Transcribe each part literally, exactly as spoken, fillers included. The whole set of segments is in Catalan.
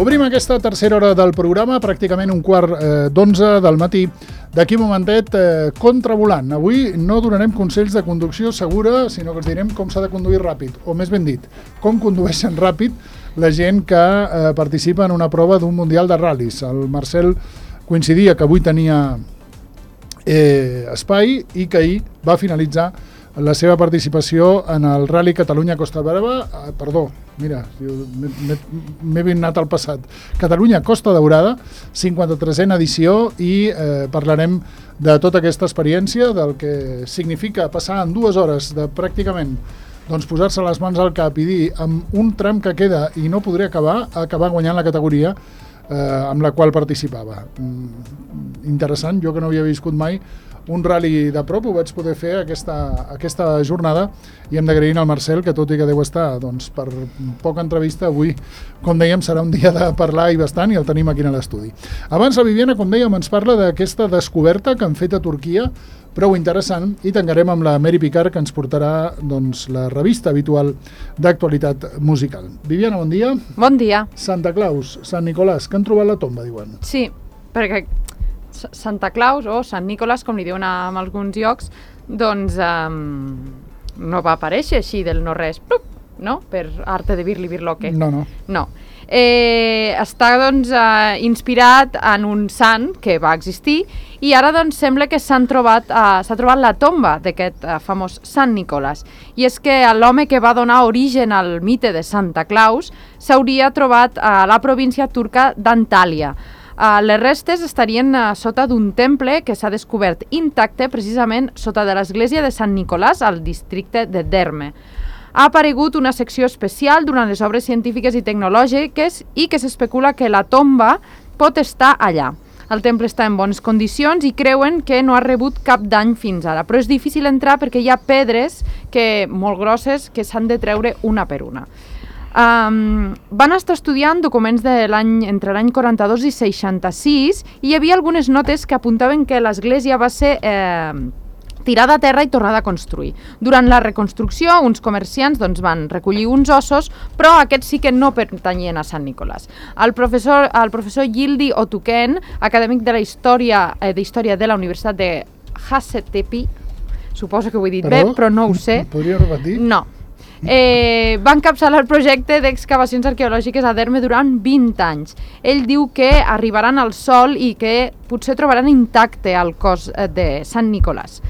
Obrim aquesta tercera hora del programa, pràcticament un quart eh, d'onze del matí. D'aquí un momentet, eh, contravolant. Avui no donarem consells de conducció segura, sinó que us direm com s'ha de conduir ràpid, o més ben dit, com condueixen ràpid la gent que eh, participa en una prova d'un mundial de ral·lis. El Marcel coincidia que avui tenia eh, espai i que ahir va finalitzar la seva participació en el Rally Catalunya-Costa Brava, eh, perdó, mira, m'he anat al passat, Catalunya-Costa Daurada, cinquanta-tresena edició, i eh, parlarem de tota aquesta experiència, del que significa passar en dues hores de pràcticament doncs, posar-se les mans al cap i dir amb un tram que queda i no podré acabar, acabar guanyant la categoria eh, amb la qual participava. Mm, interessant, jo que no havia viscut mai un rally de prop, ho vaig poder fer aquesta, aquesta jornada, i hem d'agrair al Marcel, que tot i que deu estar doncs, per poca entrevista, avui, com dèiem, serà un dia de parlar i bastant, i el tenim aquí a l'estudi. Abans la Viviana, com dèiem, ens parla d'aquesta descoberta que han fet a Turquia, prou interessant, i tancarem amb la Mary Picard, que ens portarà doncs, la revista habitual d'actualitat musical. Viviana, bon dia. Bon dia. Santa Claus, Sant Nicolàs, que han trobat la tomba, diuen. Sí, perquè Santa Claus o Sant Nicolàs, com li diuen en alguns llocs, doncs um, no va aparèixer així del no-res, no? Per arte de vir-li vir-loque. No, no. No. Eh, està doncs uh, inspirat en un sant que va existir, i ara doncs sembla que s'han trobat uh, s'ha trobat la tomba d'aquest uh, famós Sant Nicolàs. I és que l'home que va donar origen al mite de Santa Claus s'hauria trobat a la província turca d'Antàlia. Uh, les restes estarien uh, sota d'un temple que s'ha descobert intacte precisament sota de l'església de Sant Nicolàs al districte de Derme. Ha aparegut una secció especial durant les obres científiques i tecnològiques i que s'especula que la tomba pot estar allà. El temple està en bones condicions i creuen que no ha rebut cap dany fins ara, però és difícil entrar perquè hi ha pedres que, molt grosses que s'han de treure una per una. Um, van estar estudiant documents de l'any entre l'any quaranta-dos i seixanta-sis, i hi havia algunes notes que apuntaven que l'església va ser eh, tirada a terra i tornada a construir. Durant la reconstrucció, uns comerciants doncs, van recollir uns ossos, però aquests sí que no pertanyien a Sant Nicolàs. El professor, el professor Yildi Otuken, acadèmic de la història, eh, d'història de la Universitat de Hacettepe, suposo que ho he dit Perdó? bé, però no ho sé. Podria repetir? No. Eh, va encapçalar el projecte d'excavacions arqueològiques a Derme durant vint anys. Ell diu que arribaran al sòl i que potser trobaran intacte el cos de Sant Nicolàs.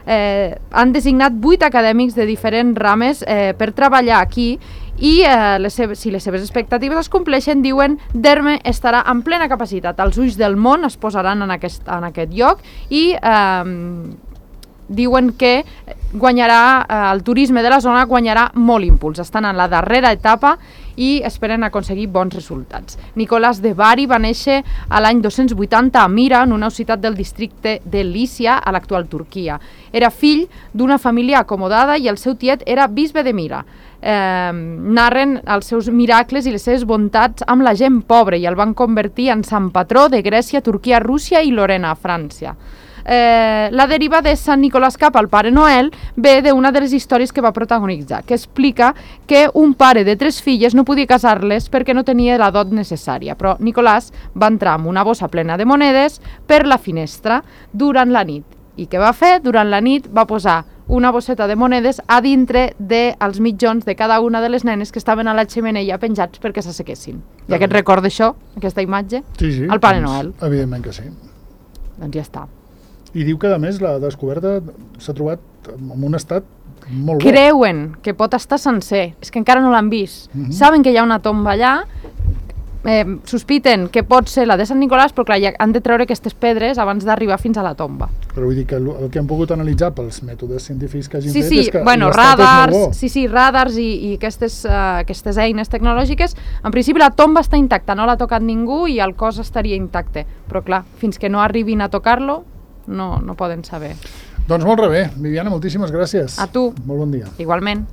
Eh, han designat vuit acadèmics de diferents rames eh, per treballar aquí, i eh, les seves, si les seves expectatives es compleixen, diuen, Derme estarà en plena capacitat. Els ulls del món es posaran en aquest, en aquest lloc, i eh, diuen que guanyarà, eh, el turisme de la zona guanyarà molt impuls. Estan en la darrera etapa i esperen aconseguir bons resultats. Nicolàs de Bari va néixer a l'any dos-cents vuitanta a Mira, en una ciutat del districte de Lícia, a l'actual Turquia. Era fill d'una família acomodada i el seu tiet era bisbe de Mira. Eh, narren els seus miracles i les seves bontats amb la gent pobra i el van convertir en sant patró de Grècia, Turquia, Rússia i Lorena, a França. Eh, la deriva de Sant Nicolàs cap al Pare Noel ve d'una de les històries que va protagonitzar, que explica que un pare de tres filles no podia casar-les perquè no tenia la dot necessària, però Nicolàs va entrar amb una bossa plena de monedes per la finestra durant la nit. I què va fer? Durant la nit va posar una bosseta de monedes a dintre dels mitjons de cada una de les nenes que estaven a la xemeneia penjats perquè s'assequessin. Ja que et recorda això, aquesta imatge, sí, sí, el Pare doncs, Noel. Evidentment que sí. Doncs ja està. I diu que, a més, la descoberta s'ha trobat en un estat molt bo. Creuen que pot estar sencer, és que encara no l'han vist. Uh-huh. Saben que hi ha una tomba allà, eh, sospiten que pot ser la de Sant Nicolàs, però clar, ja han de treure aquestes pedres abans d'arribar fins a la tomba. Però vull dir que el, el que han pogut analitzar pels mètodes científics que hagin sí, fet sí, és que bueno, l'estat radars, és molt bo. sí, sí, radars i, i aquestes, uh, aquestes eines tecnològiques, en principi la tomba està intacta, no l'ha tocat ningú i el cos estaria intacte, però clar, fins que no arribin a tocar-lo, No, no poden saber. Doncs molt bé, Viviana, moltíssimes gràcies. A tu. Molt bon dia. Igualment.